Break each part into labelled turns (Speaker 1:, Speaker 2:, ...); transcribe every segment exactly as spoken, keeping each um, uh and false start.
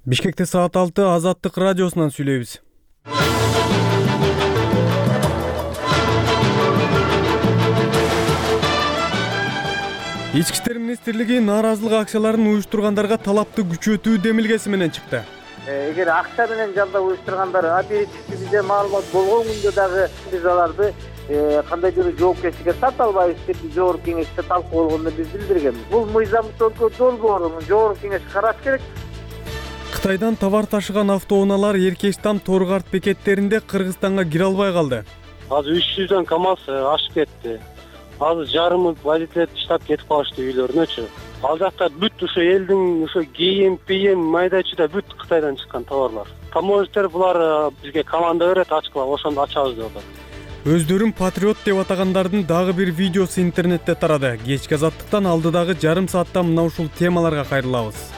Speaker 1: Бишкекте саат алты Азаттык радиосунан сүйлөйбүз. Ички иштер министрлиги нааразылык акчаларын уюштургандарга талапты күчөтүү демилгеси менен чыкты.
Speaker 2: Эгер акча менен жалдап уюштургандар оперативдүү бизде маалымат болгон күндө дагы биз аларды кандайдыр жоопкерчиликке тарта албайбыз деп жогорку кеңеште талкууланганда биз билдиргенбиз. Бул мыйзамдык өлкө долбоорун жогорку кеңеш караш керек.
Speaker 1: Кытайдан товар ташыган автоунаалар Эркештам Торгарт бекеттеринде Кыргызстанга кире албай калды.
Speaker 3: Азыр үч жүздөн КАМАЗ ашып кетти. Азыр жарымы водителер таштап кетип калышты үйлөрүнөчү. Ал жакта бүт ошо элдин ошо кийим, пийим, майда-чүйда бүт Кытайдан чыккан товарлар. Таможниктер булар бизге команда берет, ачкыла, ошондо ачабыз деп атат.
Speaker 1: Өздөрүн патриот деп атагандардын дагы бир видеосу интернетте тарады. Кечки Азаттыктан алдыдагы жарым саатта мына ушул темаларга кайрылабыз.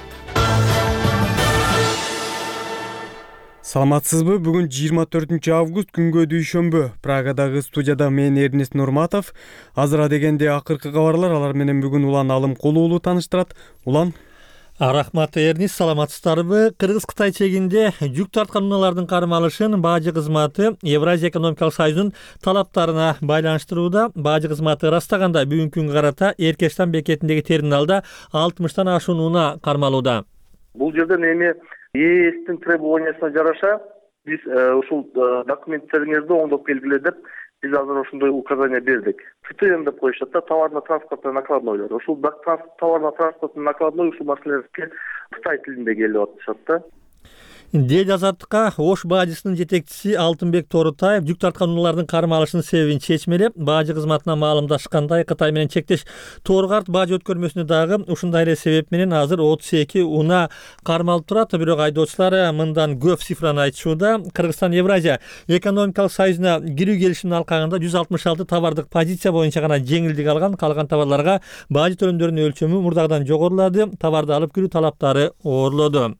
Speaker 1: Саламатсызбы? Бүгүн жыйырма төртүнчү август күнгө дүйшөмбү. Прагадагы студияда мен Эрнест Нурматов. Азыра дегенде акыркы кабарлар, алар менен бүгүн Улан Алымкулуу уулу тааныштырат. Улан.
Speaker 4: Рахмат Эрнест, саламатсыздарбы? Кыргыз-Кытай чегинде жүк тарткан унаалардын кармалышын Бажы кызматы Евразия экономикалык союзунун талаптарына байланыштырууда. Бажы кызматы ырастаганда бүгүнкү күнгө карата Эркештам бекетиндеги терминалда алтымыштан ашуун унаа кармалууда.
Speaker 5: Бул жерден эми ээстин требованиясына жараша биз ушул документтериңизди оңдоп келгиле деп биз азыр ошондой указание бердик. ТТН деп коюшат да, товарно-транспортный накладнойлор. Ушул товарно-транспортный накладной ушул маселелерге Кытай тилинде келип атышат да.
Speaker 4: Дейт Азаттыкка Ош бажысынын жетекчиси Алтынбек Торутаев жүк тарткан унаалардын кармалышынын себебин чечмелеп, Бажы кызматына маалымдашкандай Кытай менен чектеш Торгарт бажы өткөрмөсүнө дагы ушундай эле себеп менен азыр отуз эки унаа кармалып турат. Бирок айдоочулар мындан көп цифраны айтышууда. Кыргызстан Евразия экономикалык союзуна кирүү келишимин алкагында жүз алтымыш алты товардык позиция боюнча гана жеңилдик алган. Калган товарларга бажы төлөмдөрүнүн өлчөмү мурдагыдан жогорулады. Товарды алып кирүү талаптары оорлоду.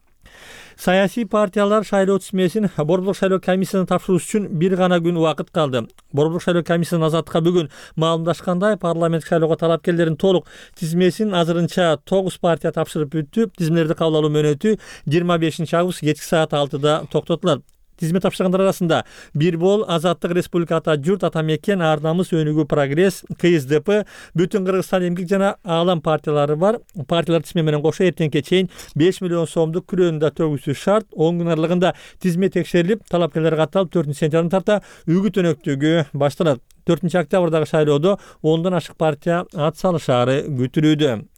Speaker 4: Саясий партиялар шайлоо тизмесин Борборлук шайлоо комиссиясына тапшыруу үчүн бир гана күн убакыт калды. Борборлук шайлоо комиссиясынын Азаттыкка бүгүн маалымдашкандай, парламенттик шайлоого талапкерлердин толук тизмесин азырынча тогуз партия тапшырып бүттү. Тизмелерди кабыл алуу мөөнөтү жыйырма бешинчи август кечки саат алтыда токтотулат. Тизме тапшыргандар арасында Бирбол, Азаттык Республика Ата Журт, Ата Мекен, Ар Намыс, Өнүгүү Прогресс, КСДП, Бүтүн Кыргызстан эмгек жана Аалам партиялары бар. Партиялар тизме менен кошо эртеңке чейин беш миллион сомдук күрөөнү да төгүшү шарт. он күн аралыгында тизме текшерилип, талапкерлер катталып, төртүнчү сентябрдан тарта үгүт өнөктүгү башталат. төртүнчү октябрдагы шайлоодо ондон ашык партия ат салышаары күтүлүүдө.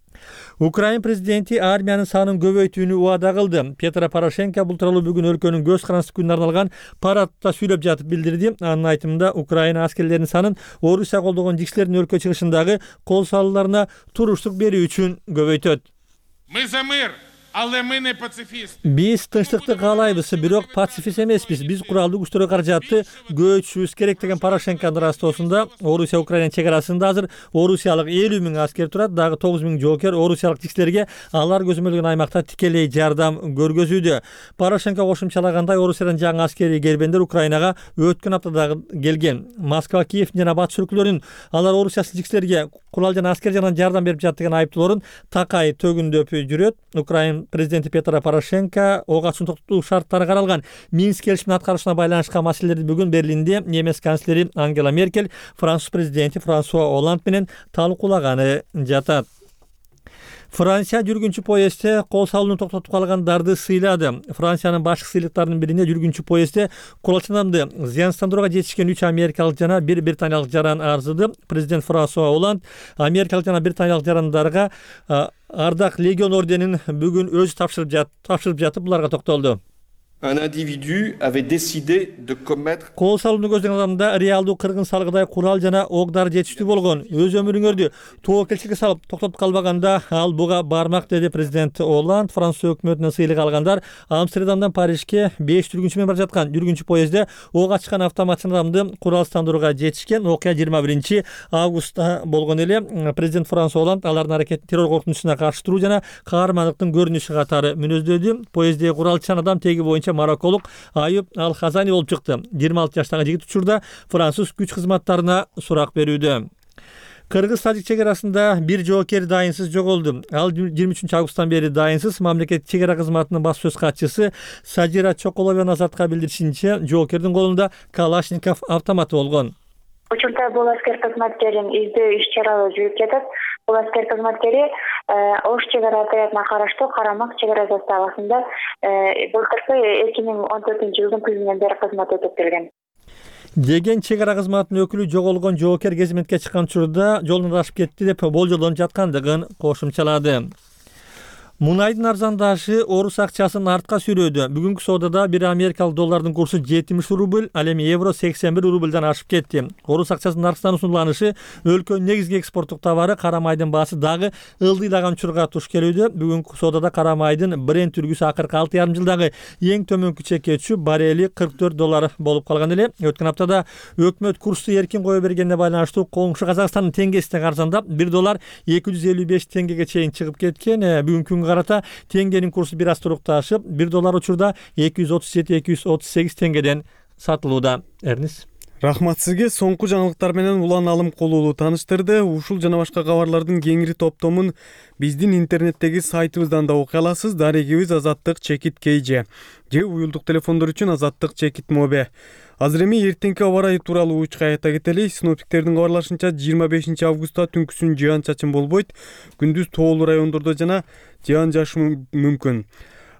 Speaker 4: Украин президенти армиянын санын көбөйтүүнү убада кылды. Петро Порошенко бул тууралуу бүгүн өлкөнүн көз карандысы күнүнө арналган парадта сүйлөп жатып билдирди. Анын айтымында Украина аскерлеринин санын Орусия колдогон жикшилердин өлкө чыгышындагы кол салууларына туруштук берүү үчүн көбөйтөт.
Speaker 6: Мы за мир. Пацифист.
Speaker 4: Биз тынчтыкты каалайбыз, бирок пацифист эмеспиз. Биз куралдуу күчтөргө каражатты көчүшүбүз керек деген Порошенконун растоосунда. Орусия Украина чек арасында азыр орусиялык элүү миң аскер турат, дагы тогуз миң жоокер орусиялык жикшилерге алар көзөмөлгөн аймакта тикелей жардам көргөзүүдө. Порошенко кошумчалагандай, Орусиядан жаңы аскерий келбендер Украинага өткөн аптада келген. Москва, Киев жана батыш өлкөлөрүнүн алар орусиялык жикшилерге курал жана аскер жана жардам берип жатты деген айыптоолорун такай төгүндөп жүрөт. Украин президенти Петро Порошенко ок атуунун токтотуу шарттары каралган Минск келишиминин аткарышына байланышкан маселелерди бүгүн Берлинде немец канцлери Ангела Меркель, француз президенти Франсуа Олланд менен талкуулаганы жатат. Франция жүргүнчү поездде кол салууну токтотуп калгандарды сыйлады. Франциянын башкы сыйлыктарынын биринде жүргүнчү поездде куралчанамды зыянсыздандырууга жетишкен үч америкалык жана бир британиялык жаран арзыды. Президент Франсуа Олланд америкалык жана британиялык жарандарга Ардак Легион орденин бүгүн өзү тапшырып жатып, тапшырып жатып буларга токтолду.
Speaker 7: Un individu avait décidé de commettre
Speaker 4: Кол салууну көздөгөн адамда реалдуу кыргын салгыдай курал жана октар жетиштүү болгон. Өз өмүрүңөрдү тоокелчиликке салып токтотуп калбаганда ал буга бармак, деди президент Олланд. Франция өкмөтүнөн сыйлык алгандар Амстердамдан Парижге беш жүргүнчү менен бара жаткан жүргүнчү поездде ок ачкан автоматчы адамды куралсыздандырууга жетишкен. Окуя жыйырма биринчи августта болгон эле. Президент Франсуа Олланд алардын аракетин террор коркунучуна каршы туруу жана каармандыктын көрүнүшү катары мүнөздөдү. Поезддеги куралчан адам теги боюнча марокколук Аюб Ал-Хазани болуп чыкты. жыйырма алты жаштагы жигит учурда француз күч кызматтарына сурак берүүдө. Кыргыз-Тажик чек арасында бир жоокер дайынсыз жоголду. Ал жыйырма үчүнчү августтан бери дайынсыз. Мамлекеттик чек ара кызматынын баш сөз катчысы Сажира Чоколова Азатка билдиришинче, жоокердин колунда Калашников автоматы болгон.
Speaker 8: Учурда бул аскер кызматкерин издөө иш-чаралары жүрүп жатат. Бул аскер кызматкери Ош чек ара отрядына караштуу Карамак чек ара заставасында былтыркы эки миң он төртүнчү жылдын күзүнөн бери кызмат өтөп келген.
Speaker 4: Деген чек ара кызматынын өкүлү жоголгон жоокер кезметке чыккан учурда жолун адашып кетти деп болжолдонуп жаткандыгын кошумчалады. Мунайдын арзандашы орус акчасын артка сүйрөдү. Бүгүнкү соодада бир америкалык доллардын курсу жетимиш рубль, ал эми евро сексен бир рубльдан ашып кетти. Орус акчасынын наркынан усунуланышы өлкөнүн негизги экспорттук товары кара майдын баасы дагы ылдыйлаган учурга туш келүүдө. Бүгүнкү соодада кара майдын Brent үлгүсү акыркы алты жарым жылдагы эң төмөнкү чекке түшүп, баррели кырк төрт доллар болуп калган эле. Өткөн аптада өкмөт курсту эркин кое бергенине байланыштуу коңшу Казакстандын теңгесине каржандап, бир доллар эки жүз элүү беш теңгеге чейин чыгып кеткен. Бүгүнкү карата теңгенин курсу бир аз турукташып, бир доллар учурда эки жүз отуз жети эки жүз отуз сегиз теңгеден сатылууда. Эрнис.
Speaker 1: Рахмат сизге. Соңку жаңылыктар менен Улан Алым Кулуулу тааныштырды. Ушул жана башка кабарлардын кеңири топтомун биздин интернеттеги сайтыбыздан да окуй аласыз. Дарегибиз Азаттык Чекит Кейже же уюлдук телефондор үчүн Азаттык Чекит Мобе. Азыр эми эртеңки аба ырайы тууралуу учка айта кетели. Синоптиктердин кабарлашынча жыйырма бешинчи августта түнкүсүн жаан чачын болбойт. Күндүз тоолуу райондордо жана жаан жаашы мүмкүн.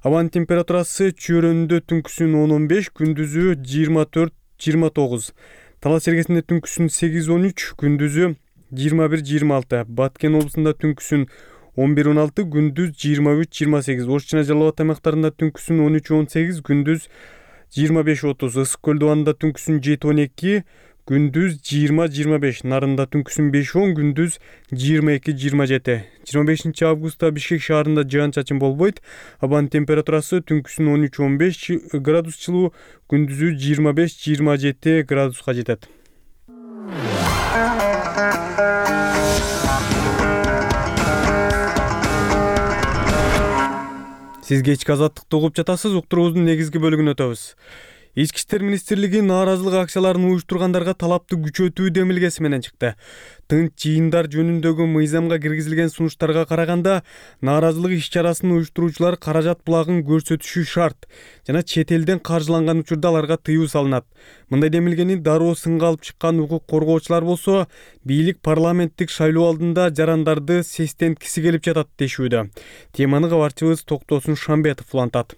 Speaker 1: Абанын температурасы чөйрөнүндө түнкүсүн он он беш, күндүзү жыйырма төрт жыйырма тогуз. Талас Чергесинде түнкүсүн сегиз он үч, күндүзү жыйырма бир жыйырма алты. Баткен облусунда түнкүсүн он бир он алты, күндүз жыйырма үч жыйырма сегиз. Ош жана Жалал Абад аймактарында түнкүсүн он үч он сегиз, күндүз жыйырма беш отуз. Ысык көл дубанында түнкүсүн жети он эки, күндүз жыйырма жыйырма беш. Нарында түнкүсүн беш он, күндүз жыйырма эки жыйырма жети. жыйырма бешинчи августта Бишкек шаарында жаан чачын болбойт. Абанын температурасы түнкүсүн он үч он беш градус жылуу, күндүзү жыйырма беш жыйырма жети градуска жетет. Сиз кечки Азаттыкты угуп жатасыз. Уктуруубуздун негизги бөлүгүнө өтөбүз. Ички иштер министрлиги нааразылык акцияларын уюштургандарга талапты күчөтүү демилгеси менен чыкты. Тынч жыйындар жөнүндөгү мыйзамга киргизилген сунуштарга караганда, нааразылык иш-чарасын уюштуруучулар каражат булагын көрсөтүшү шарт жана чет элден каржыланган учурда аларга тыюу салынат. Мындай демилгени дароо сынга алып чыккан укук коргоочулар болсо, бийлик парламенттик шайлоо алдында жарандарды сестенткиси келип жатат дешүүдө. Теманы кабарчыбыз Токтосун Шамбетов улантат.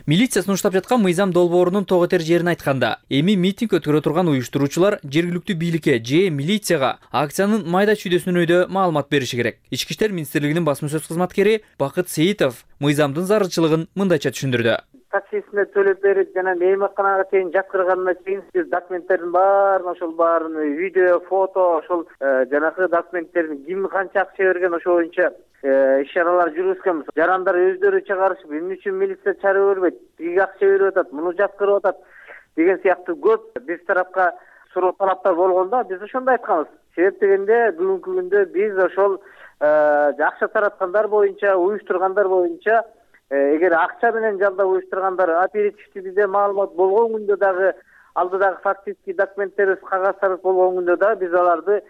Speaker 9: Милиция сунуштап жаткан мыйзам долбоорунун тоготер жерин айтканда, эми митинг өткөрө турган уюштуруучулар жергиликтүү бийликке же милицияга акциянын майда чүйдөсүнөн маалымат бериши керек. Ички иштер министрлигинин басма сөз кызматкери Бакыт Сейитов мыйзамдын зарылчылыгын мындайча түшүндүрдү.
Speaker 2: Таксисине төлөп берип жана мейманканага чейин жаткырганына чейин биз документтердин баарын ошол баарын видео, фото, ошол жанагы документтердин ким канча акча берген ошо боюнча иш-чаралар жүргүзгөнбүз. Жарандар өздөрү чыгарышып, эмне үчүн милиция чарып бербейт, тиги акча берип атат, муну жаткырып атат деген сыяктуу көп биз тарапка суроо талаптар болгондо биз ошондой айтканбыз. Себеп дегенде бүгүнкү күндө биз ошол акча тараткандар боюнча, уюштургандар боюнча эгер акча менен жалдап уюштургандар оперативдүү бизде маалымат болгон күндө дагы алдыдагы фактический документтерибиз, кагаздарыбыз болгон күндө дагы биз аларды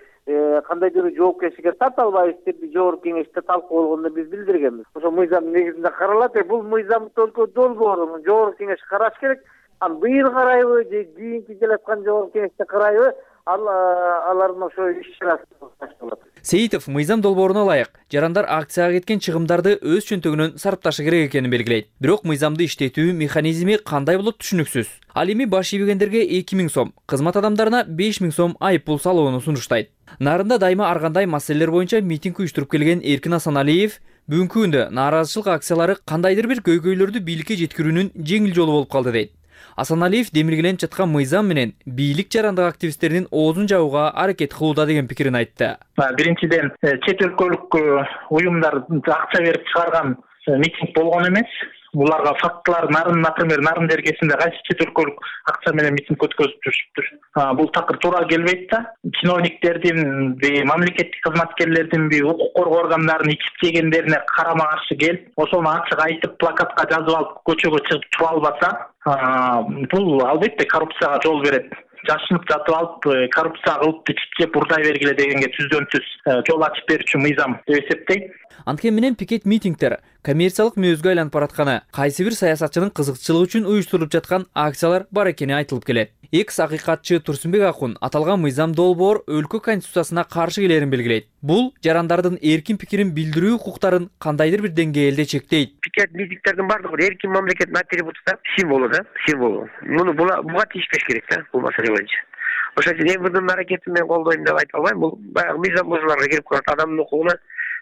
Speaker 2: кандайдыр жоопкерчиликке тарта албайбыз деп жогорку кеңеште талкуу болгондо биз билдиргенбиз. Ошо мыйзам негизинде каралат. Бул мыйзам только долбоорун жогорку кеңеш караш керек. Аны быйыл карайбы же кийинки келаткан жогорку кеңеште карайбы, алардын ошо иш-чарасы башталат.
Speaker 9: Сейитов мыйзам долбооруна ылайык жарандар акцияга кеткен чыгымдарды өз чөнтөгүнөн сарпташы керек экенин белгилейт. Бирок мыйзамды иштетүү механизми кандай болот түшүнүксүз. Ал эми баш ийбегендерге эки миң сом, кызмат адамдарына беш миң сом айып пул салууну сунуштайт. Нарында дайыма ар кандай маселелер боюнча митинг уюштуруп келген Эркин Асаналиев бүгүнкү күндө нааразычылык акциялары кандайдыр бир көйгөйлөрдү бийликке жеткирүүнүн жеңил жолу болуп калды дейт. Асаналиев демилгеленип жаткан мыйзам менен бийлик жарандык активисттердин оозун жабууга аракет кылууда деген пикирин айтты.
Speaker 10: Биринчиден, чет өлкөлүк уюмдар акча берип чыгарган митинг болгон эмес. Буларга фактылар нарын, например, нарын дергесинде кайсы чет өлкөлүк акча менен митинг өткөзүп жүрүштүр. Бул такыр туура келбейт да. Чиновниктердин, мамлекеттик кызматкерлердин, укук коргоо органдарынын ичип жегендерине карама каршы келип, ошону ачык айтып, плакатка жазып алып, көчөгө чыгып тура албаса, бул албетте коррупцияга жол берет. жашынып жатып алып коррупция кылыпты чиптеп урдай бергиле дегенге түздөн түз жол ачып берүүчү мыйзам деп эсептейт.
Speaker 9: Анткени менен пикет митингдер коммерциялык мүнөзгө айланып баратканы, кайсы бир саясатчынын кызыкчылыгы үчүн уюштурулуп жаткан акциялар бар экени айтылып келет. Экс акыйкатчы Турсунбек Акун аталган мыйзам долбоор өлкө конституциясына каршы келерин белгилейт. Бул жарандардын эркин пикирин билдирүү укуктарын кандайдыр бир деңгээлде чектейт.
Speaker 11: Пикет митингдердин баардыгы эркин мамлекеттин атрибуту, символу да, символу. Муну буга тийишпеш керек да, бул маселе боюнча. Ошол үчүн эми мынын аракетин мен колдойм деп айта албайм. Бул баягы мыйзам бузууларга кирип калат, адамдын укугуна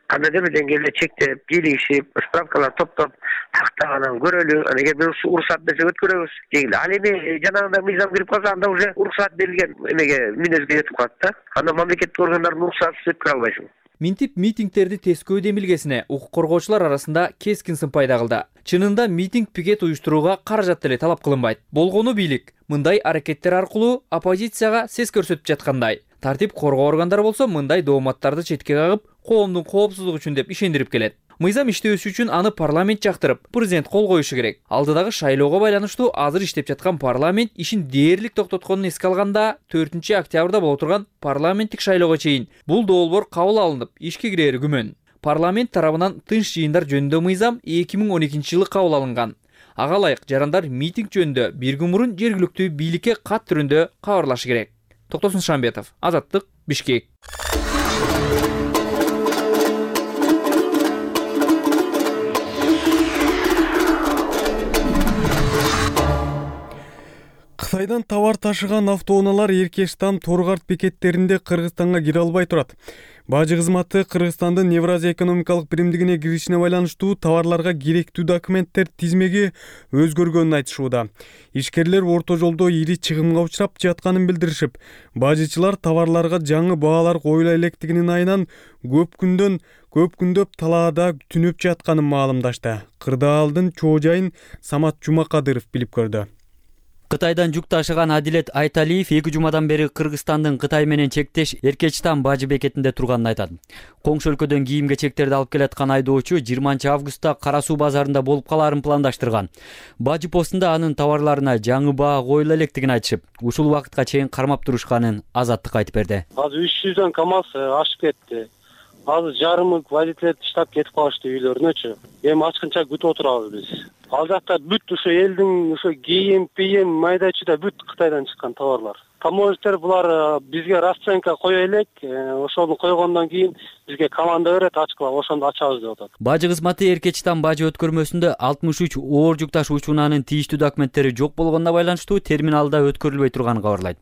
Speaker 11: кандайдыр бир деңгээлде чектеп, кийлигишип, справкалар топтоп, тактаганан көрөлү, эгер бир уруксат берсе өткөрөбүз дегиле. Ал эми жанагындай мыйзам кирип калса, анда уже уруксат берилген эмеге мүнөзгө жетип калат да. Анда мамлекеттик органдардын уруксатсыз өткөрө албайсың.
Speaker 9: Минтип митингдерди тескөө демилгесине укук коргоочулар арасында кескин сын пайда кылды. Чынында митинг пикет уюштурууга каражат деле талап кылынбайт. Болгону бийлик мындай аракеттер аркылуу оппозицияга сес көрсөтүп жаткандай. Тартип коргоо органдары болсо мындай дооматтарды четке кагып, коомдун коопсуздугу үчүн деп ишендирип келет. Мыйзам иштөөсү үчүн аны парламент жактырып, президент кол коюшу керек. Алдыдагы шайлоого байланыштуу азыр иштеп жаткан парламент ишин дээрлик токтотконун эске алганда, төртүнчү октябрда боло турган парламенттик шайлоого чейин бул долбоор кабыл алынып, ишке кирери күмөн. Парламент тарабынан тынч жыйындар жөнүндө мыйзам эки миң он экинчи жылы кабыл алынган. Ага ылайык жарандар митинг жөнүндө бир күн мурун жергиликтүү бийликке кат түрүндө кабарлашы керек. Токтосун Шамбетов, Азаттык, Бишкек.
Speaker 1: Кытайдан товар ташыган автоунаалар Эркештам Торгарт бекеттеринде Кыргызстанга кире албай турат. Бажы кызматы Кыргызстандын Евразия экономикалык биримдигине киришине байланыштуу товарларга керектүү документтер тизмеги өзгөргөнүн айтышууда. Ишкерлер орто жолдо ири чыгымга учурап жатканын билдиришип, бажычылар товарларга жаңы баалар коюла электигинин айынан көп күндөн көп күндөп талаада түнөп жатканын маалымдашты. Кырдаалдын чоо жайын Самат Жумакадыров билип көрдү.
Speaker 12: Кытайдан жүк ташыган Адилет Айталиев эки жумадан бери Кыргызстандын Кытай менен чектеш Эркечтам бажы бекетинде турганын айтат. Коңшу өлкөдөн кийим-кечектерди алып келаткан айдоочу жыйырманчы августта Кара Суу базарында болуп калаарын пландаштырган. Бажы постунда анын товарларына жаңы баа коюла электигин айтышып, ушул убакытка чейин кармап турушканын Азаттык айтып берди.
Speaker 3: Азыр үч жүздөн КАМАЗ ашып кетти. Азыр жарымы водителер таштап кетип калышты үйлөрүнөчү. Эми ачкынча күтүп отурабыз биз. Ал жакта бүт ошо элдин ошо кийим, пийим, майда чүйдө бүт Кытайдан чыккан товарлар. Таможниктер булар бизге расценка кое элек, ошону койгондон кийин бизге команда берет, ачкыла, ошондо ачабыз деп атат.
Speaker 12: Бажы кызматы Эркечтам бажы өткөрмөсүндө алтымыш үч оор жүк ташуучу унаанын тийиштүү документтери жок болгонуна байланыштуу терминалда өткөрүлбөй турганын кабарлайт.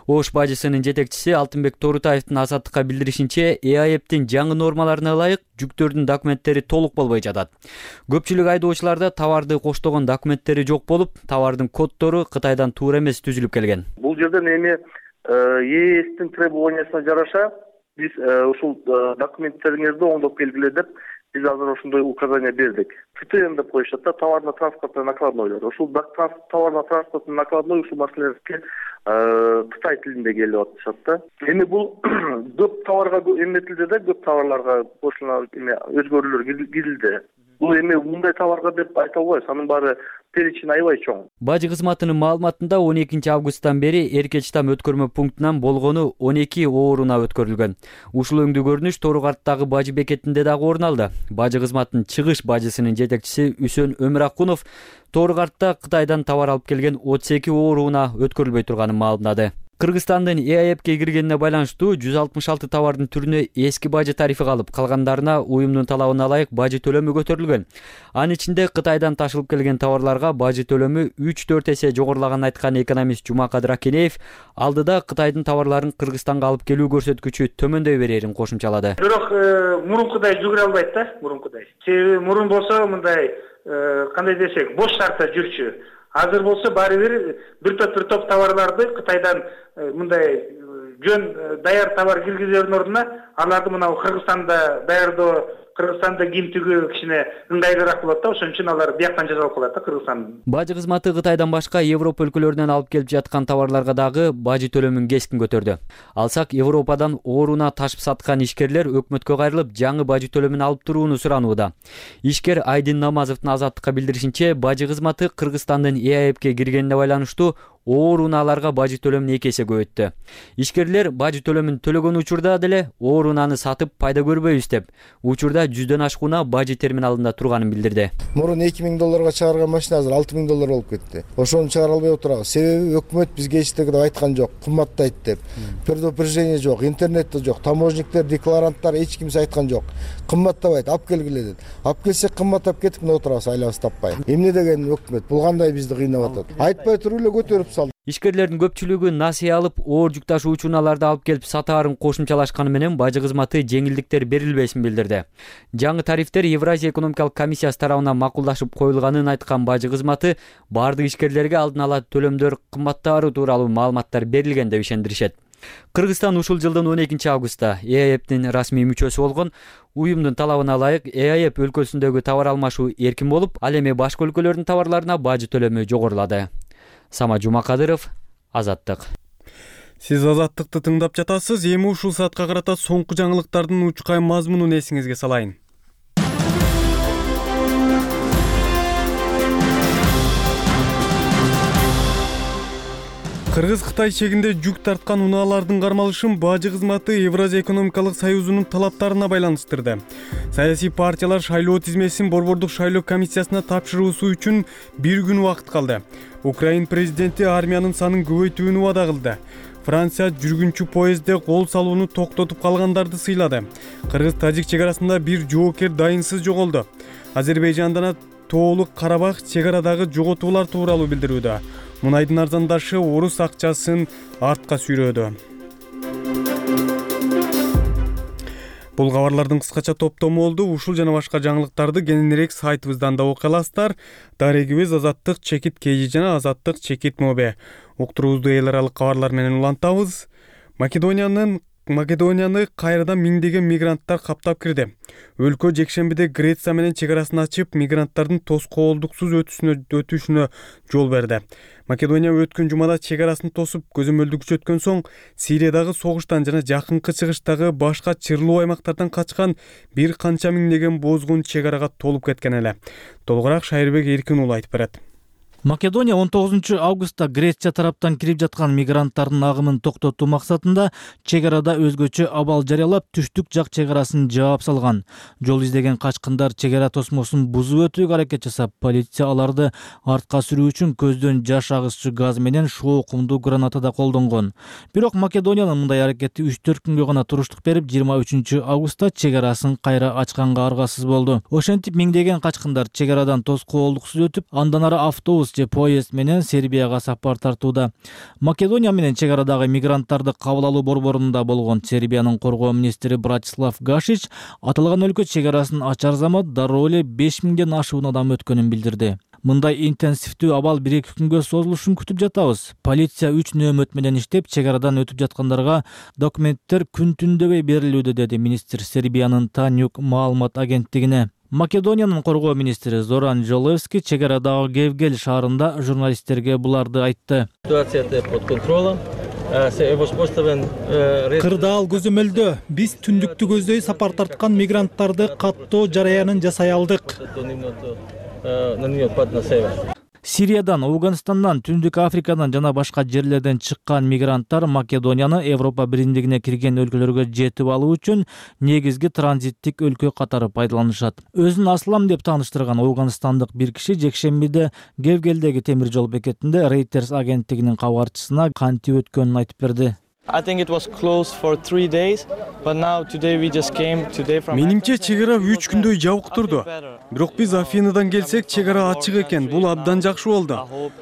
Speaker 12: Ош бажысынын жетекчиси Алтынбек Торутаевдин Азаттыкка билдиришинче, ЭАЭПтин жаңы нормаларына ылайык жүктөрдүн документтери толук болбой жатат. Көпчүлүк айдоочуларда товарды коштогон документтери жок болуп, товардын коддору Кытайдан туура эмес түзүлүп келген.
Speaker 5: Бул жерден эми ЕСтин требованиясына жараша биз ушул документтериңизди оңдоп келгиле деп биз азыр ошондой указание бердик. ТТН деп коюшат да, товарно-транспортный накладнойлор. Ушул товарно-транспортный накладной ушул маселелерге Кытай тилинде келип атышат да. Эми бул көп товарга эметилди да, көп товарларга кошулган эме өзгөрүүлөр кирилди. Бул эми мындай товарга деп айта албайбыз, анын баары перечень аябай чоң.
Speaker 12: Бажы кызматынын маалыматында он экинчи августтан бери Эркечтам өткөрмө пунктунан болгону он эки ооруна өткөрүлгөн. Ушул өңдүү көрүнүш Торгарттагы бажы бекетинде дагы орун алды. Бажы кызматынын чыгыш бажысынын жетекчиси Үсөн Өмүракунов Торгартта Кытайдан товар алып келген отуз эки ооруна өткөрүлбөй турганын маалымдады. Кыргызстандын ЭАЭПке киргенине байланыштуу жүз алтымыш алты товардын түрүнө эски бажы тарифи калып, калгандарына уюмдун талабына ылайык бажы төлөмү көтөрүлгөн. Анын ичинде Кытайдан ташылып келген товарларга бажы төлөмү үч төрт эсе жогорулаганын айткан экономист Жумакадыр Акенеев алдыда Кытайдын товарларын Кыргызстанга алып келүү көрсөткүчү төмөндөй берерин кошумчалады.
Speaker 10: Бирок мурункудай жүгүрө албайт да, мурункудай. Себеби мурун болсо мындай кандай десек, бош шартта жүрчү. Азыр болсо баары бир бир топ бир топ товарларды Кытайдан мындай жөн даяр товар киргизердин ордуна аларды мына Кыргызстанда даярдоо, Кыргызстанда кийим тигүү кичине ыңгайлуураак болот да, ошон үчүн алар бияктан жасалып калат да Кыргызстан.
Speaker 12: Бажы кызматы Кытайдан башка Европа өлкөлөрүнөн алып келип жаткан товарларга дагы бажы төлөмүн кескин көтөрдү. Алсак Европадан ооруна ташып саткан ишкерлер өкмөткө кайрылып жаңы бажы төлөмүн алып турууну суранууда. Ишкер Айдын Намазовдун Азаттыкка билдиришинче, бажы кызматы Кыргызстандын ЭАЭПке киргенине байланыштуу оор унааларга бажы төлөмүн эки эсе көбөйттү. Ишкерлер бажы төлөмүн төлөгөн учурда деле оор унааны сатып пайда көрбөйбүз деп, учурда жүздөн ашык унаа бажы терминалында турганын билдирди.
Speaker 13: Мурун эки миң долларга чыгарган машина азыр алты миң доллар болуп кетти. Ошону чыгара албай отурабыз. Себеби өкмөт бизге эчтеке айткан жок, кымбаттайт деп. Предупреждение жок, интернетте жок, таможниктер, декларанттар эч кимсе айткан жок. Кымбаттабайт, алып келгиле деп. Алып келсек кымбаттап кетип мына отурабыз, айлабыз таппай. Эмне деген өкмөт? Бул кандай бизди кыйнап атат? Айтпай туруп эле көтөрүп салды.
Speaker 12: Ишкерлердин көпчүлүгү насыя алып, оор жүк ташуучу унааларды алып келип сатаарын кошумчалашканы менен бажы кызматы жеңилдиктер берилбесин билдирди. Жаңы тарифтер Евразия экономикалык комиссиясы тарабынан макулдашып коюлганын айткан бажы кызматы бардык ишкерлерге алдын ала төлөмдөр кымбаттаары тууралуу маалыматтар берилген деп ишендиришет. Кыргызстан ушул жылдын он экинчи августта Э А Эптин расмий мүчөсү болгон. Уюмдун талабына ылайык Э А Эп өлкөсүндөгү товар алмашуу эркин болуп, ал эми башка өлкөлөрдүн товарларына бажы төлөмү жогорулады. Сама Жумакадыров, Азаттык.
Speaker 1: Сиз Азаттыкты тыңдап жатасыз. Эми ушул саатка карата соңку жаңылыктардын учкай мазмунун эсиңизге салайын. Кыргыз-Кытай чегинде жүк тарткан унаалардын кармалышын бажы кызматы Евразия экономикалык союзунун талаптарына байланыштырды. Саясий партиялар шайлоо тизмесин Борбордук шайлоо комиссиясына тапшыруусу үчүн бир күн убакыт калды. Украин президенти армиянын санын көбөйтүүнү убада кылды. Франция жүргүнчү поездде кол салууну токтотуп калгандарды сыйлады. Кыргыз-Тажик чек арасында бир жоокер дайынсыз жоголду. Азербайжандан Тоолук Карабах чек арадагы жоготуулар тууралуу билдирүүдө. Мунайдын арзандашы орус акчасын артка сүйрөөдү. Бул кабарлардын кыскача топтому болду. Ушул жана башка жаңылыктарды кененирээк сайтыбыздан да окуй аласыздар. Дарегибиз Азаттык чекит кей жана Азаттык чекит мобе. Уктуруубузду эл аралык кабарлар менен улантабыз. Македониянын Македонияны кайрадан миңдеген мигранттар каптап кирди. Өлкө жекшембиде Греция менен чек арасын ачып, мигранттардын тоскоолдуксуз өтүшүнө өтүшүнө жол берди. Македония өткөн жумада чек арасын тосуп, көзөмөлдү күчөткөн соң, Сириядагы согуштан жана жакынкы чыгыштагы башка чырлуу аймактардан качкан бир канча миңдеген бозгун чек арага толуп кеткен эле. Толугураак Шайырбек Эркин уулу айтып берет.
Speaker 14: Македония он тогузунчу августта Греция тараптан кирип жаткан мигранттардын агымын токтотуу максатында чек арада өзгөчө абал жарыялап, түштүк жак чек арасын жаап салган. Жол издеген качкындар чек ара тосмосун бузуп өтүүгө аракет жасап, полиция аларды артка сүрүү үчүн көздөн жаш агызчы газ менен шоо кумдуу граната да колдонгон. Бирок Македониянын мындай аракети үч төрт күнгө гана туруштук берип, жыйырма үчүнчү августта чек арасын кайра ачканга аргасыз болду. Ошентип миңдеген качкындар чек арадан тоскоолдуксуз өтүп, андан ары автобус же поезд менен Сербияга сапар тартууда. Македония менен чек арадагы мигранттарды кабыл алуу борборунда болгон Сербиянын коргоо министри Братислав Гашич аталган өлкө чек арасын ачар замат дароо эле беш миңден ашуун адам өткөнүн билдирди. Мындай интенсивдүү абал бир эки күнгө созулушун күтүп жатабыз. Полиция үч нөөмөт менен иштеп, чек арадан өтүп жаткандарга документтер күн түндөбөй берилүүдө, деди министр Сербиянын Танюк маалымат агенттигине. Македониянын коргоо министри Зоран Жолевски чек арадагы Гевгел шаарында журналисттерге буларды айтты.
Speaker 15: Ситуацията под контролом.
Speaker 16: Кырдаал көзөмөлдө. Биз түндүктү көздөй сапар тарткан мигранттарды каттоо жараянын жасай алдык.
Speaker 14: Сириядан, Ауганстандан, Түндүк Африкадан жана башка жерлерден чыккан мигранттар Македонияны Европа биримдигине кирген өлкөлөргө жетип алуу үчүн негизги транзиттик өлкө катары пайдаланышат. Өзүн Аслам деп тааныштырган ауганстандык бир киши жекшембиде Гевгелдеги темир жол бекетинде Reuters агенттигинин кабарчысына кантип өткөнүн айтып берди.
Speaker 15: I think it was closed for three days, but now today we just came today from.
Speaker 1: Менимче чек ара үч күндөй жабык турду. Бирок биз Афинадан келсек, чек ара ачык экен. Бул абдан жакшы болду.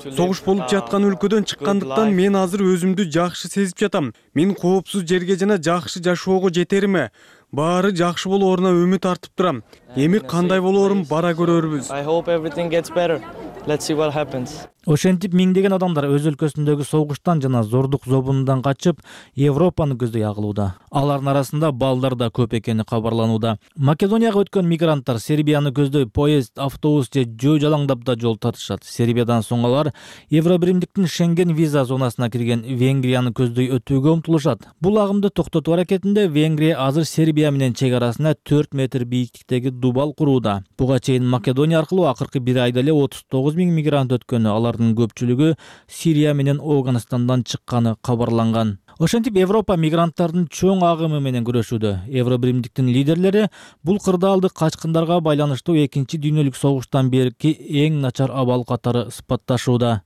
Speaker 1: Согуш болуп жаткан өлкөдөн чыккандыктан мен азыр өзүмдү жакшы сезип жатам. Мен коопсуз жерге жана жакшы жашоого жетериме, баары жакшы болооруна үмүт артып турам. Эми кандай болоорун бара көрөрбүз.
Speaker 15: I hope everything gets better. Let's see what happens.
Speaker 14: Ошентип миңдеген адамдар өз өлкөсүндөгү согуштан жана зордук зобундан качып Европаны көздөй агылууда. Алардын арасында балдар да көп экени кабарланууда. Македонияга өткөн мигранттар Сербияны көздөй поезд, автобус же жөө жалаңдап да жол тартышат. Сербиядан соң алар Евробиримдиктин Шенген виза зонасына кирген Венгрияны көздөй өтүүгө умтулушат. Бул агымды токтотуу аракетинде Венгрия азыр Сербия менен чек арасына төрт метр бийиктиктеги дубал курууда. Буга чейин Македония аркылуу акыркы бир айда эле отуз тогуз миң мигрант өткөнү, алар алардын көпчүлүгү Сирия менен Афганистандан чыкканы кабарланган. Ошентип Европа мигранттардын чоң агымы менен күрөшүүдө. Евробиримдиктин лидерлери бул кырдаалды качкындарга байланыштуу экинчи дүйнөлүк согуштан берки эң начар абал катары сыпатташууда.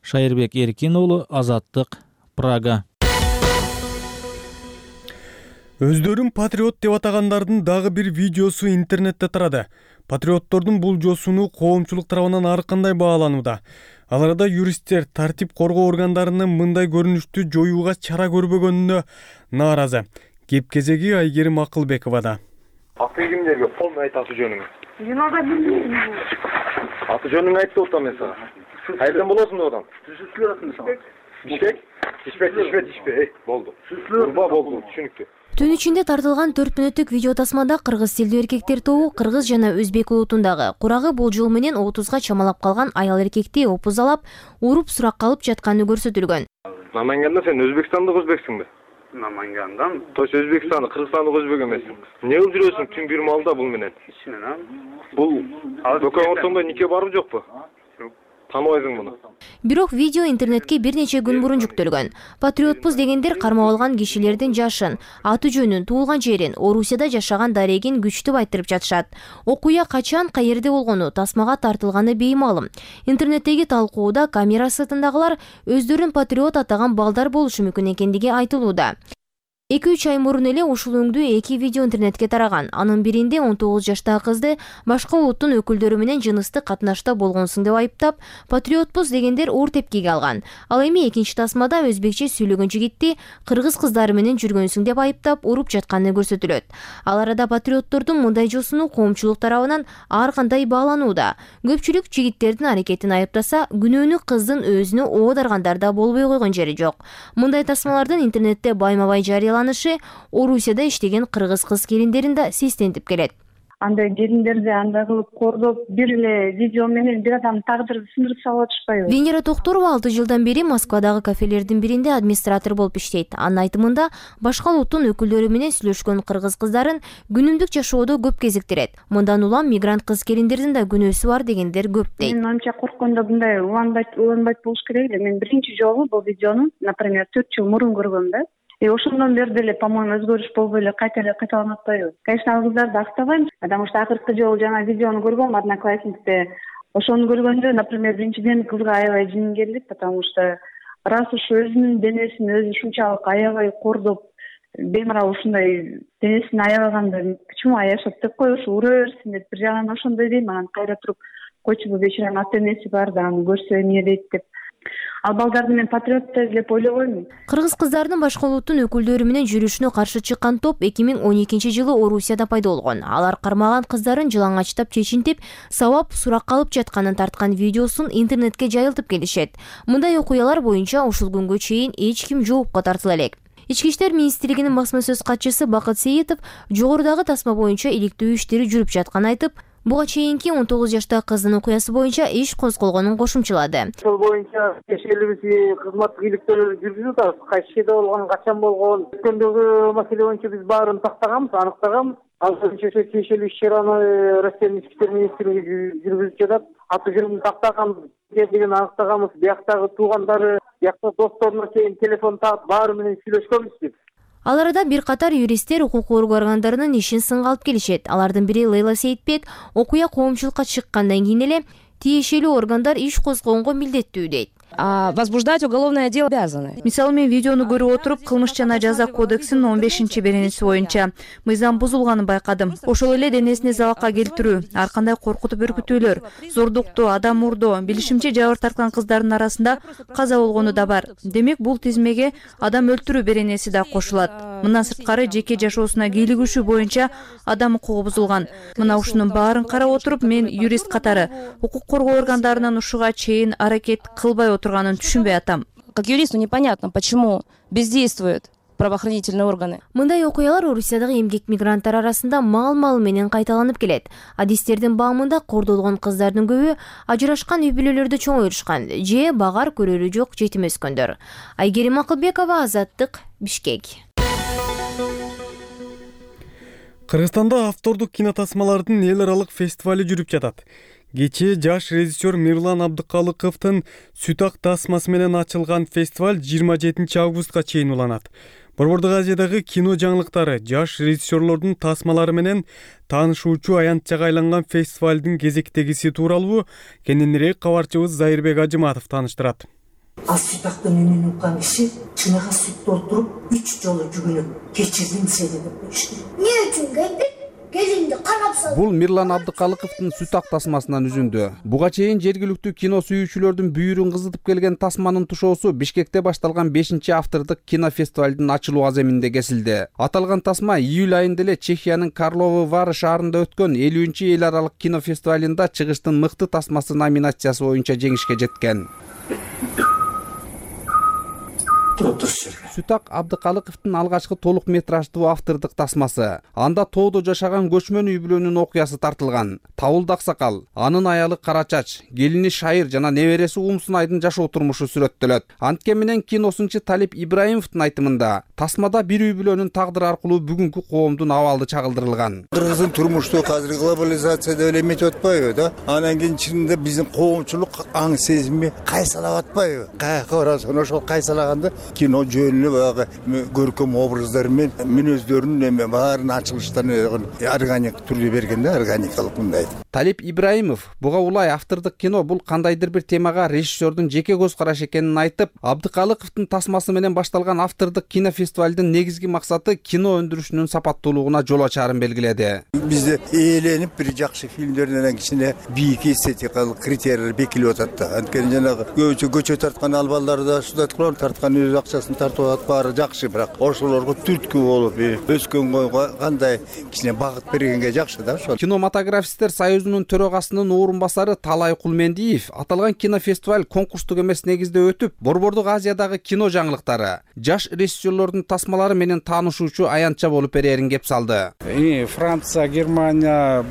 Speaker 14: Шайырбек Эркин уулу, Азаттык, Прага.
Speaker 1: Өздөрүн патриот деп атагандардын дагы бир видеосу интернетте тарады. Патриоттордун бул жосуну коомчулук тарабынан ар кандай бааланууда. Ал арада юристтер тартип коргоо органдарынын мындай көрүнүштү жоюуга чара көрбөгөнүнө нааразы. Кеп кезеги Айгерим Акылбековада.
Speaker 17: Аты кимдерге полный айт аты жөнүңү?
Speaker 18: Мен ага билбейм.
Speaker 17: Аты жөнүңү айтып атам мен сага. Кайдан болосуң одан? Бишкек? Бишкек, Бишкек, Бишкек. Болду. Урба болду, түшүнүктүү.
Speaker 19: Түн ичинде тартылган төрт мүнөттүк видео тасмада кыргыз тилдүү эркектер тобу кыргыз жана өзбек улутундагы курагы болжол менен отузга чамалап калган аял эркекти опузалап, уруп суракка алып жатканы көрсөтүлгөн.
Speaker 17: Наманганда сен өзбекстандык өзбексиңби?
Speaker 18: Намангандан.
Speaker 17: Тош Өзбекстандык, Кыргызстандык өзбек эмессиң. Эмне кылып жүрөсүң түн бир маалда бул менен?
Speaker 18: Менен.
Speaker 17: Бул дөкөн ортоңдо нике барбы жокпу? Таныбайсың муну.
Speaker 19: Бирок видео интернетке бир нече күн мурун жүктөлгөн. Патриотпуз дегендер кармап алган кишилердин жашын, аты жөнүн, туулган жерин, Орусияда жашаган дарегин күчтүп айтырып жатышат. Окуя качан, каерде болгону, тасмага тартылганы беймалым. Интернеттеги талкууда камера сыртындагылар өздөрүн патриот атаган балдар болушу мүмкүн экендиги айтылууда. эки үч ай мурун эле ушул өңдүү эки видео интернетке тараган. Анын биринде он тогуз жаштагы кызды башка улуттун өкүлдөрү менен жыныстык катнашта болгонсуң деп айыптап, патриотпуз дегендер оор тепкиге алган. Ал эми экинчи тасмада өзбекче сүйлөгөн жигитти кыргыз кыздары менен жүргөнсүң деп айыптап, уруп жатканы көрсөтүлөт. Ал арада патриоттордун мындай жосуну коомчулук тарабынан ар кандай бааланууда. Көпчүлүк жигиттердин аракетин айыптаса, күнөөнү кыздын өзүнө оодаргандар да болбой койгон жери жок. Мындай тасмалардын интернетте байма-бай жарыяланып Орусияда иштеген кыргыз кыз келиндерин да сестентип келет.
Speaker 18: Андай келиндерди андай кылып кордоп, бир эле видео менен бир адамдын тагдырын сындырып салып атышпайбы?
Speaker 19: Венера Токторова алты жылдан бери Москвадагы кафелердин биринде администратор болуп иштейт. Анын айтымында, башка улуттун өкүлдөрү менен сүйлөшкөн кыргыз кыздарын күнүмдүк жашоодо көп кезиктирет. Мындан улам мигрант кыз келиндердин да күнөөсү бар дегендер көп дейт.
Speaker 18: Мен анча корккондо мындай уланбайт, уланбайт болуш керек эле. Мен биринчи жолу бул видеону, например, төрт жыл мурун көргөм да. И ошондон бери деле, по-моему, өзгөрүш болбой эле кайта эле кайталанып атпайбы? Конечно, ал кыздарды актабайм, потому что акыркы жолу жана видеону көргөм Одноклассникте. Ошону көргөндө, например, биринчиден кызга аябай жиним келди, потому что раз уж өзүнүн денесин өзү ушунчалык аябай кордоп, бемарал ушундай денесин аябаганда почему аяшат деп кой, ушу ура берсин деп бир жагынан ошондой дейм, анан кайра туруп койчу бул бечаранын ата энеси бар да, аны көрсө эмне дейт деп. Ал балдарды мен патриот деп ойлобоймун.
Speaker 19: Кыргыз кыздарынын башка улуттун өкүлдөрү менен жүрүшүнө каршы чыккан топ эки миң он экинчи жылы Орусияда пайда болгон. Алар кармаган кыздарын жылаңачтап чечинтип, сабап суракка алып жатканын тарткан видеосун интернетке жайылтып келишет. Мындай окуялар боюнча ушул күнгө чейин эч ким жоопко тартыла элек. Ички иштер министрлигинин басма сөз катчысы Бакыт Сейитов жогорудагы тасма боюнча иликтөө иштери жүрүп жатканын айтып, буга чейинки он тогуз жаштагы кыздын окуясы боюнча иш козголгонун кошумчалады.
Speaker 2: Ошол боюнча тиешелүү кызматтык иликтөөлөрдү жүргүзүп атабыз. Кайсы жерде болгон, качан болгон, өткөндөгү маселе боюнча биз баарын тактаганбыз, аныктаганбыз. Ал боюнча тиешелүү иш чараны Россиянын ички иштер министрлиги жүргүзүп жатат. Аты жөнүн тактаганбыз, деген аныктаганбыз. Бияктагы туугандары, биякта досторуна чейин телефон таап баары менен сүйлөшкөнбүз биз.
Speaker 19: Ал арада бир катар юристтер укук коргоо органдарынын ишин сынга алып келишет. Алардын бири Лейла Сейитбек окуя коомчулукка чыккандан кийин эле тиешелүү органдар иш козгогонго милдеттүү дейт.
Speaker 20: Возбуждать уголовное дело обязаны.
Speaker 21: Мисалы мен видеону көрүп отуруп, кылмыш жана жаза кодексинин он бешинчи беренеси боюнча мыйзам бузулганын байкадым. Ошол эле денесине забакка келтирүү, ар кандай коркутуп үркүтүүлөр, зордуктоо, адам урдоо, билишимче жабыр тарткан кыздардын арасында каза болгону да бар. Демек, бул тизмеге адам өлтүрүү беренеси да кошулат. Мындан сырткары жеке жашоосуна кийлигишүү боюнча адам укугу бузулган. Мына ушунун баарын карап отуруп, мен юрист катары укук коргоо органдарынын ушуга чейин аракет кылбай отурганын түшүнбөй атам.
Speaker 20: Как юристу непонятно, почему бездействуют правоохранительные органы.
Speaker 19: Мындай окуялар Орусиядагы эмгек мигранттар арасында мал-мал менен кайталанып келет. Адистердин баамында кордолгон кыздардын көбү ажырашкан үй бүлөлөрдө чоңоюрушкан же багар көрөрү жок жетим өскөндөр. Айгерим Акылбекова, Азаттык, Бишкек.
Speaker 1: Кыргызстанда автордук кинотасмалардын эл аралык фестивали жүрүп жатат. Кечээ жаш режиссер Мирлан Абдыкалыковдун Сүт ак тасмасы менен ачылган фестиваль жыйырма жетинчи августка чейин уланат. Борбордук Азиядагы кино жаңылыктары, жаш режиссерлордун тасмалары менен таанышуучу аянтчага айланган фестивалдын кезектегиси тууралуу кененирээк кабарчыбыз Зайырбек Ажыматов тааныштырат.
Speaker 6: Ал сүт актын үнүн уккан киши чыныга сүт толтуруп үч жолу жүгүнүп кечирдим сени деп коюшту.
Speaker 22: Эмне үчүн келдик? Келинди карап сал.
Speaker 23: Бул Мирлан Абдыкалыковдун Сүт ак тасмасынан үзүндү. Буга чейин жергиликтүү кино сүйүүчүлөрдүн бүйүрүн кызытып келген тасманын тушоосу Бишкекте башталган бешинчи автордук кинофестивалдын ачылуу аземинде кесилди. Аталган тасма июль айында эле Чехиянын Карловы Вары шаарында өткөн элүүнчү эл аралык кинофестивалында чыгыштын мыкты тасмасы номинациясы боюнча жеңишке жеткен. Сүт ак Абдыкалыковдун алгачкы толук метраждуу автордук тасмасы. Анда тоодо жашаган көчмөн үй бүлөнүн окуясы тартылган. Табылды Аксакал, анын аялы Кара Чач, келини Шайыр жана небереси Умсунайдын жашоо турмушу сүрөттөлөт. Антке менен киносунчу Талип Ибраимовдун айтымында, тасмада бир үй бүлөнүн тагдыры аркылуу бүгүнкү коомдун абалы чагылдырылган.
Speaker 24: Кыргыздын турмушту азыр глобализацияда эле эметип атпайбы да? Анан кийин чынында биздин коомчулук аң сезими кайсалап атпайбы? Каяка барасың, ошол кайсалаганда кино жөнүнө баягы көркөм образдары менен мүнөздөрүн эме баарын ачылыштарын органик түрдө берген да, органикалык мындай.
Speaker 23: Талип Ибраимов буга улай автордук кино бул кандайдыр бир темага режиссердун жеке көз карашы экенин айтып, Абдыкалыковдун тасмасы менен башталган автордук кинофестивалдын негизги максаты кино өндүрүшүнүн сапаттуулугуна жол ачаарын белгиледи.
Speaker 24: Бизде ээленип бир жакшы фильмдерден кичине бийик эстетикалык критерийлер бекилип атат да. Анткени жанагы көчө көчө тарткан албалдар да шудат кылып тарткан өз акчасын тартып атат, баары жакшы, бирок ошолорго түрткү болуп, өскөн койго кандай кичине багыт бергенге жакшы да ошол.
Speaker 23: Кинематографисттер союзунун төрагасынын орун басары Талай Кулмендиев аталган кинофестиваль конкурстук эмес негизде өтүп, Борбордук Азиядагы кино жаңылыктары, жаш режиссерлордун тасмалары менен таанышуучу аянтча болуп берерин кеп салды.
Speaker 25: Франция, Германия,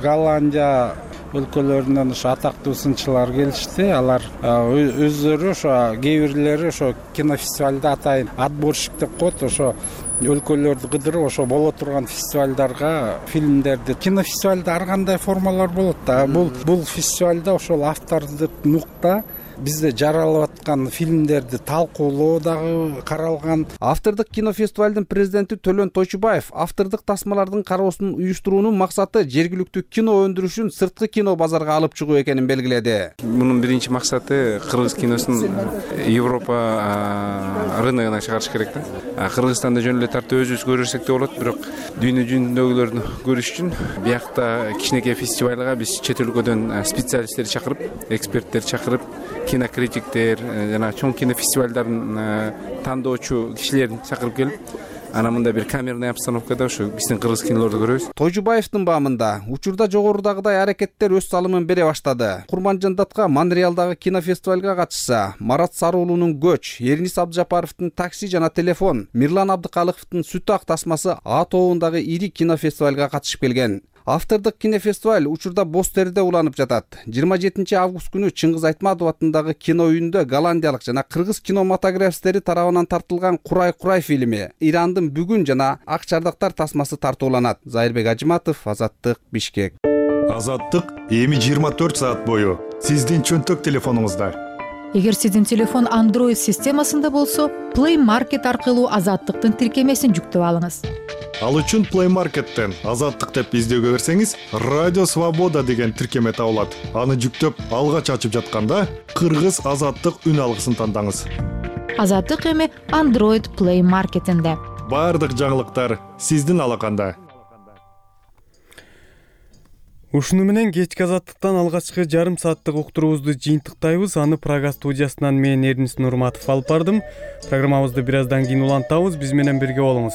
Speaker 25: Голландия өлкөлөрүнөн ошо атактуу сынчылар келишти. Алар өздөрү ошо кээ бирлери ошо кинофестивалда атайын отборщик деп коет, ошо өлкөлөрдү кыдырып ошо боло турган фестивалдарга фильмдерди. Кинофестивалда ар кандай формалар болот да. Бул бул фестивалда ошол автордук нукта бизде жаралып аткан фильмдерди талкуулоо дагы каралган.
Speaker 23: Автордук кинофестивалдын президенти Төлөн Тойчубаев автордук тасмалардын кароосун уюштуруунун максаты жергиликтүү кино өндүрүшүн сырткы кино базарга алып чыгуу экенин белгиледи.
Speaker 26: Мунун биринчи максаты кыргыз киносун Европа рыногуна чыгарыш керек да. Кыргызстанда жөн эле тартып өзүбүз көрсөк да болот, бирок дүйнө жүзүндөгүлөрдү көрүш үчүн биякта кичинекей фестивалга биз чет өлкөдөн специалисттер чакырып, эксперттер чакырып, кинокритиктер жана чоң кинофестивалдардын тандоочу кишилерин чакырып келип, анан мында бир камерный обстановкада ошо биздин кыргыз кинолорду көрөбүз.
Speaker 23: Тойжубаевдин баамында учурда жогорудагыдай аракеттер өз салымын бере баштады. Курманжан Датка Монреалдагы кинофестивалга катышса, Марат Саруулунун Көч, Эрнис Абдыжапаровдун Такси жана Телефон, Мирлан Абдыкалыковдун Сүт ак тасмасы А тобундагы ири кинофестивалга катышып келген. Автордук кинофестиваль учурда Боз Терде уланып жатат. жыйырма жетинчи август күнү Чыңгыз Айтматов атындагы кино үйүндө голландиялык жана кыргыз кинематографисттери тарабынан тартылган Курай Курай фильми, Ирандын бүгүн жана Ак Чардактар тасмасы тартууланат. Зайырбек Ажыматов, Азаттык, Бишкек.
Speaker 27: Азаттык эми жыйырма төрт саат бою сиздин чөнтөк телефонуңузда.
Speaker 28: Эгер сиздин телефон Android системасында болсо, Play Market аркылуу Азаттыктын тиркемесин жүктөп алыңыз.
Speaker 27: Ал үчүн Play Market'тен Азаттык деп издөөгө берсеңиз, Радио Свобода деген тиркеме табылат. Аны жүктөп алгач ачып жатканда Кыргыз Азаттык үн алгысын тандаңыз.
Speaker 28: Азаттык эми Android Play Market'инде.
Speaker 27: Бардык жаңылыктар сиздин алаканда.
Speaker 1: Ушуну менен кечки Азаттыктан алгачкы жарым сааттык уктуруубузду жыйынтыктайбыз. Аны Прага студиясынан мен Эрнис Нурматов алып бардым. Программабызды бир аздан кийин улантабыз. Биз менен бирге болуңуз.